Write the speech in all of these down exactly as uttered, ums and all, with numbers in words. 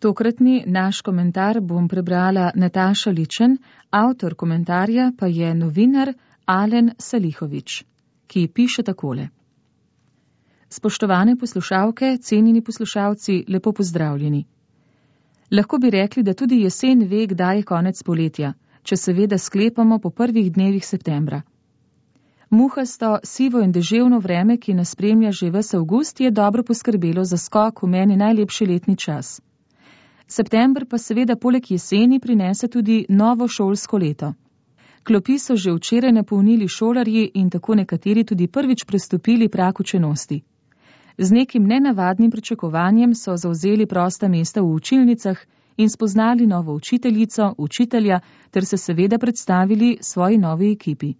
Tokratni naš komentar bom prebrala Nataša Ličen, avtor komentarja pa je novinar Alen Salihović, ki piše takole. Spoštovane poslušalke, cenjeni poslušalci, lepo pozdravljeni. Lahko bi rekli, da tudi jesen ve, kdaj je konec poletja, če seveda sklepamo po prvih dnevih septembra. Muhasto, sivo in deževno vreme, ki nas spremlja že ves avgust, je dobro poskrbelo za skok v meni najlepši letni čas. September pa seveda poleg jeseni prinese tudi novo šolsko leto. Klopi so že včeraj napolnili šolarji in tako nekateri tudi prvič prestopili prag učenosti. Z nekim nenavadnim pričakovanjem so zavzeli prosta mesta v učilnicah in spoznali novo učiteljico, učitelja ter se seveda predstavili svoji novi ekipi.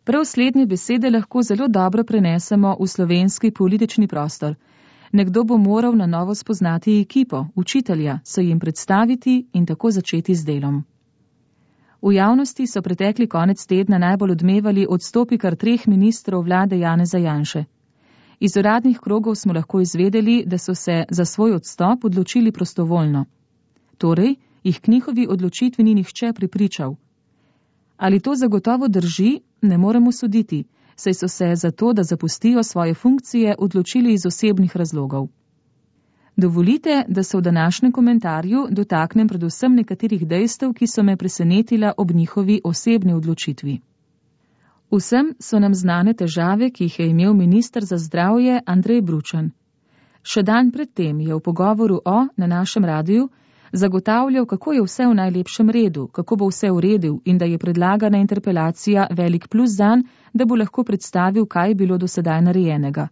Prav slednje besede lahko zelo dobro prenesemo v slovenski politični prostor. Nekdo bo moral na novo spoznati ekipo, učitelja, se jim predstaviti in tako začeti z delom. V javnosti so pretekli konec tedna najbolj odmevali odstopi kar treh ministrov vlade Janeza Janše. Iz uradnih krogov smo lahko izvedeli, da so se za svoj odstop odločili prostovoljno. Torej, jih k njihovi odločitvi ni nihče pripričal. Ali to zagotovo drži, ne moremo soditi, saj so se za to, da zapustijo svoje funkcije, odločili iz osebnih razlogov. Dovolite, da se v današnjem komentarju dotaknem predvsem nekaterih dejstev, ki so me presenetila ob njihovi osebni odločitvi. Vsem so nam znane težave, ki jih je imel minister za zdravje Andrej Bručan. Še dan predtem je v pogovoru o, na našem radiju, zagotavljal, kako je vse v najlepšem redu, kako bo vse uredil in da je predlagana interpelacija velik plus zanj, da bo lahko predstavil, kaj je bilo do sedaj narejenega.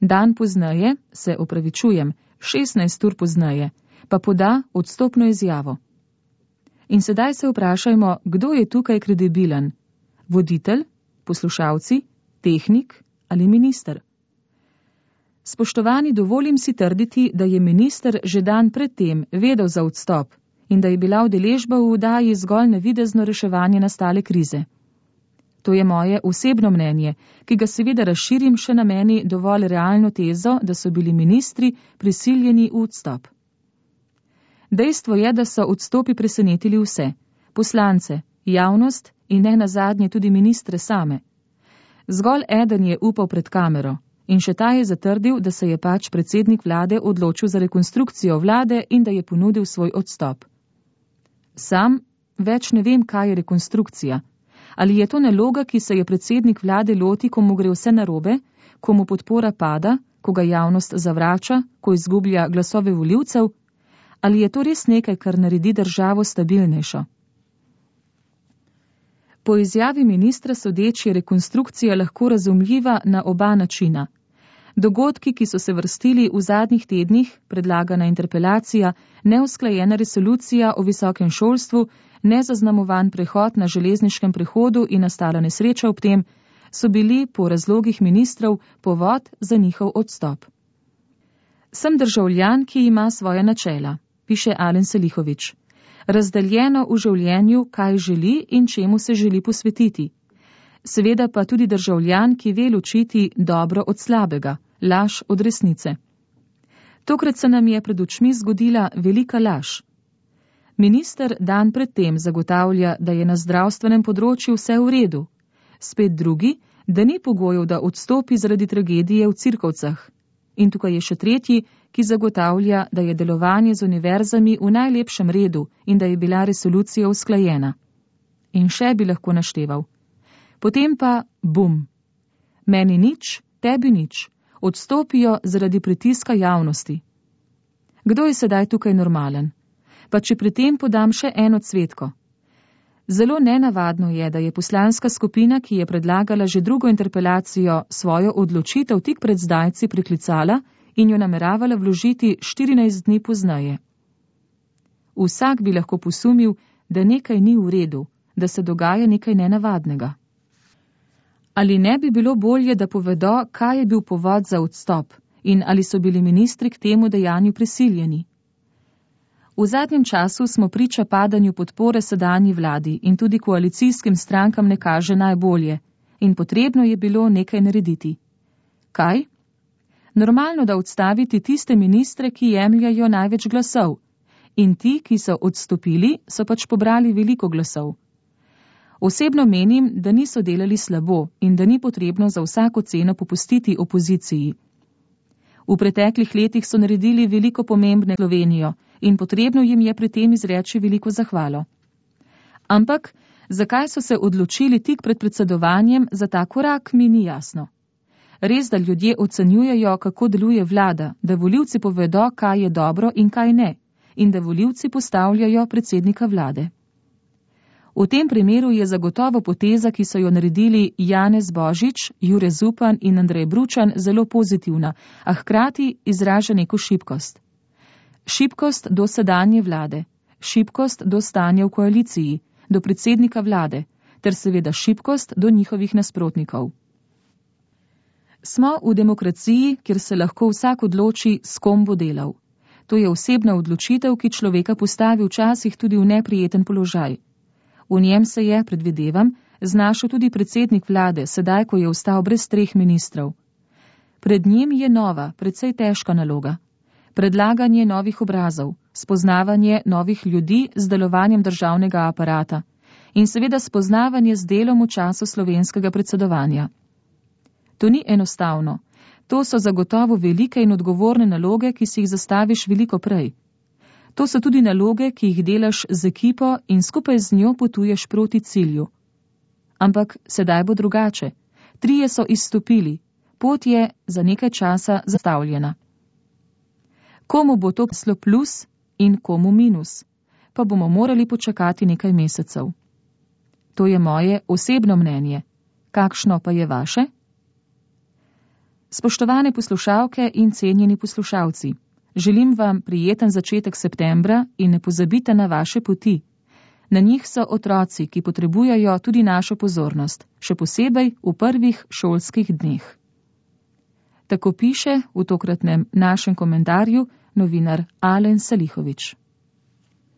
Dan pozneje, se opravičujem, šestnajst ur pozneje, pa poda odstopno izjavo. In sedaj se vprašajmo, kdo je tukaj kredibilen? Voditelj, poslušalci, tehnik ali minister? Spoštovani, dovolim si trditi, da je minister že dan predtem vedel za odstop in da je bila udeležba v vdaji zgolj navidezno reševanje nastale krize. To je moje osebno mnenje, ki ga seveda razširim še na meni dovolj realno tezo, da so bili ministri prisiljeni v odstop. Dejstvo je, da so odstopi presenetili vse, poslance, javnost in ne nazadnje tudi ministre same. Zgolj eden je upal pred kamero in še ta je zatrdil, da se je pač predsednik vlade odločil za rekonstrukcijo vlade in da je ponudil svoj odstop. Sam več ne vem, kaj je rekonstrukcija. Ali je to naloga, ki se je predsednik vlade loti, ko mu gre vse narobe, ko mu podpora pada, ko ga javnost zavrača, ko izgublja glasove volivcev? Ali je to res nekaj, kar naredi državo stabilnejšo? Po izjavi ministra sodeč je rekonstrukcija lahko razumljiva na oba načina. Dogodki, ki so se vrstili v zadnjih tednih, predlagana interpelacija, neusklajena resolucija o visokem šolstvu, nezaznamovan prehod na železniškem prehodu in nastala nesreča ob tem, so bili po razlogih ministrov povod za njihov odstop. Sem državljan, ki ima svoja načela, piše Alen Salihović. Razdeljeno v življenju, kaj želi in čemu se želi posvetiti. Seveda pa tudi državljan, ki ve ločiti dobro od slabega, laž od resnice. Tokrat se nam je pred očmi zgodila velika laž. Minister dan predtem zagotavlja, da je na zdravstvenem področju vse v redu. Spet drugi, da ni pogojev, da odstopi zaradi tragedije v Cirkovcah. In tukaj je še tretji, ki zagotavlja, da je delovanje z univerzami v najlepšem redu in da je bila resolucija usklajena. In še bi lahko našteval. Potem pa bum. Meni nič, tebi nič. Odstopijo zaradi pritiska javnosti. Kdo je sedaj tukaj normalen? Pa če pri tem podam še eno cvetko. Zelo nenavadno je, da je poslanska skupina, ki je predlagala že drugo interpelacijo, svojo odločitev tik pred zdajci priklicala in jo nameravala vložiti štirinajst dni pozneje. Vsak bi lahko posumil, da nekaj ni v redu, da se dogaja nekaj nenavadnega. Ali ne bi bilo bolje, da povedo, kaj je bil povod za odstop in ali so bili ministri k temu dejanju prisiljeni? V zadnjem času smo priča padanju podpore sedanji vladi in tudi koalicijskim strankam ne kaže najbolje in potrebno je bilo nekaj narediti. Kaj? Normalno, da odstaviti tiste ministre, ki jemljajo največ glasov, in ti, ki so odstopili, so pač pobrali veliko glasov. Osebno menim, da niso delali slabo in da ni potrebno za vsako ceno popustiti opoziciji. V preteklih letih so naredili veliko pomembne Slovenijo in potrebno jim je pri tem izreči veliko zahvalo. Ampak, zakaj so se odločili tik pred predsedovanjem za ta korak, mi ni jasno. Res, da ljudje ocenjujejo, kako deluje vlada, da volivci povedo, kaj je dobro in kaj ne, in da volivci postavljajo predsednika vlade. V tem primeru je zagotovo poteza, ki so jo naredili Janez Božič, Jure Zupan in Andrej Bručan, zelo pozitivna, a hkrati izraža neko šibkost. Šibkost do sedanje vlade, šibkost do stanja v koaliciji, do predsednika vlade, ter seveda šibkost do njihovih nasprotnikov. Smo v demokraciji, kjer se lahko vsak odloči, s kom bo delal. To je osebna odločitev, ki človeka postavi včasih tudi v neprijeten položaj. V njem se je, predvidevam, znašel tudi predsednik vlade, sedaj, ko je ostal brez treh ministrov. Pred njim je nova, precej težka naloga. Predlaganje novih obrazov, spoznavanje novih ljudi z delovanjem državnega aparata in seveda spoznavanje z delom v času slovenskega predsedovanja. To ni enostavno. To so zagotovo velike in odgovorne naloge, ki si jih zastaviš veliko prej. To so tudi naloge, ki jih delaš z ekipo in skupaj z njo potuješ proti cilju. Ampak sedaj bo drugače. Trije so izstopili. Pot je za nekaj časa zastavljena. Komu bo to poslo plus in komu minus, pa bomo morali počakati nekaj mesecev. To je moje osebno mnenje. Kakšno pa je vaše? Spoštovane poslušalke in cenjeni poslušalci, želim vam prijeten začetek septembra in ne pozabite na vaše poti. Na njih so otroci, ki potrebujejo tudi našo pozornost, še posebej v prvih šolskih dneh. Tako piše v tokratnem našem komentarju novinar Alen Salihovič.